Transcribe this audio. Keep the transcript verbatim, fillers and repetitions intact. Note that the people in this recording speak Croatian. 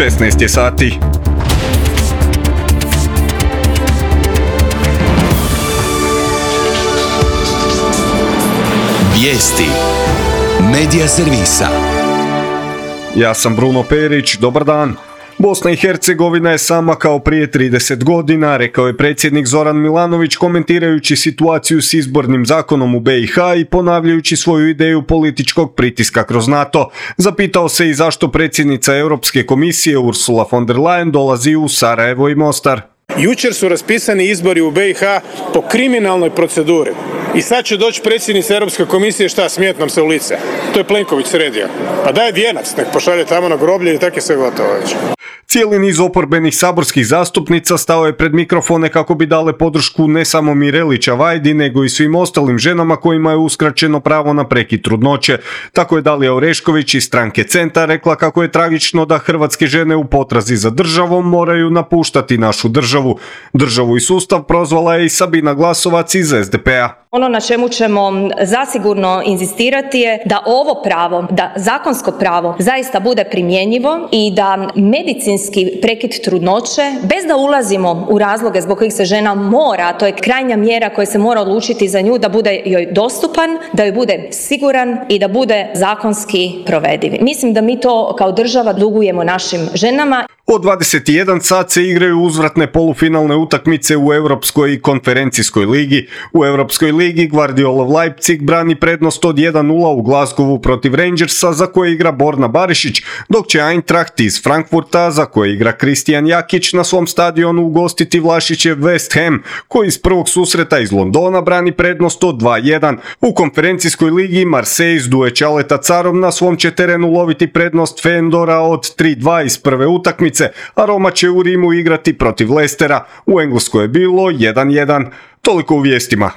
šesnaest je sati. Vijesti Medija servisa. Ja sam Bruno Perić, dobar dan. Bosna i Hercegovina je sama kao prije trideset godina, rekao je predsjednik Zoran Milanović komentirajući situaciju s izbornim zakonom u be i ha i ponavljajući svoju ideju političkog pritiska kroz NATO. Zapitao se i zašto predsjednica Europske komisije Ursula von der Leyen dolazi u Sarajevo i Mostar. Jučer su raspisani izbori u be i ha po kriminalnoj proceduri. I sad će doći predsjednica Europske komisije, šta, smijet nam se u lice. To je Plenković sredio. Pa daj vijenac, nek pošalje tamo na groblje i tako je sve gotovo već. Cijeli niz oporbenih saborskih zastupnica stao je pred mikrofone kako bi dale podršku ne samo Mireli Čavajdi, nego i svim ostalim ženama kojima je uskraćeno pravo na prekid trudnoće. Tako je Dalija Orešković iz stranke Centar rekla kako je tragično da hrvatske žene u potrazi za državom moraju napuštati našu državu. Državu i sustav prozvala je i Sabina Glasovac iz es de pe a. Ono na čemu ćemo zasigurno inzistirati je da ovo pravo, da zakonsko pravo zaista bude primjenjivo i da medicinski prekid trudnoće, bez da ulazimo u razloge zbog kojih se žena mora, a to je krajnja mjera koja se mora odlučiti za nju, da bude joj dostupan, da joj bude siguran i da bude zakonski provediv. Mislim da mi to kao država dugujemo našim ženama. Od dvadeset jedan sat se igraju uzvratne polufinalne utakmice u Europskoj i konferencijskoj ligi. U Europskoj ligi Guardiolov Leipzig brani prednost od jedan nula u Glasgowu protiv Rangersa za koje igra Borna Barišić, dok će Eintracht iz Frankfurta za koje igra Kristijan Jakić na svom stadionu ugostiti Vlašićev West Ham, koji iz prvog susreta iz Londona brani prednost od dva jedan. U konferencijskoj ligi Marseille s Duje Čaleta Carom na svom će terenu loviti prednost Fendora od tri dva iz prve utakmice, a Roma će u Rimu igrati protiv Leicestera. U Engleskoj je bilo jedan jedan. Toliko u vijestima.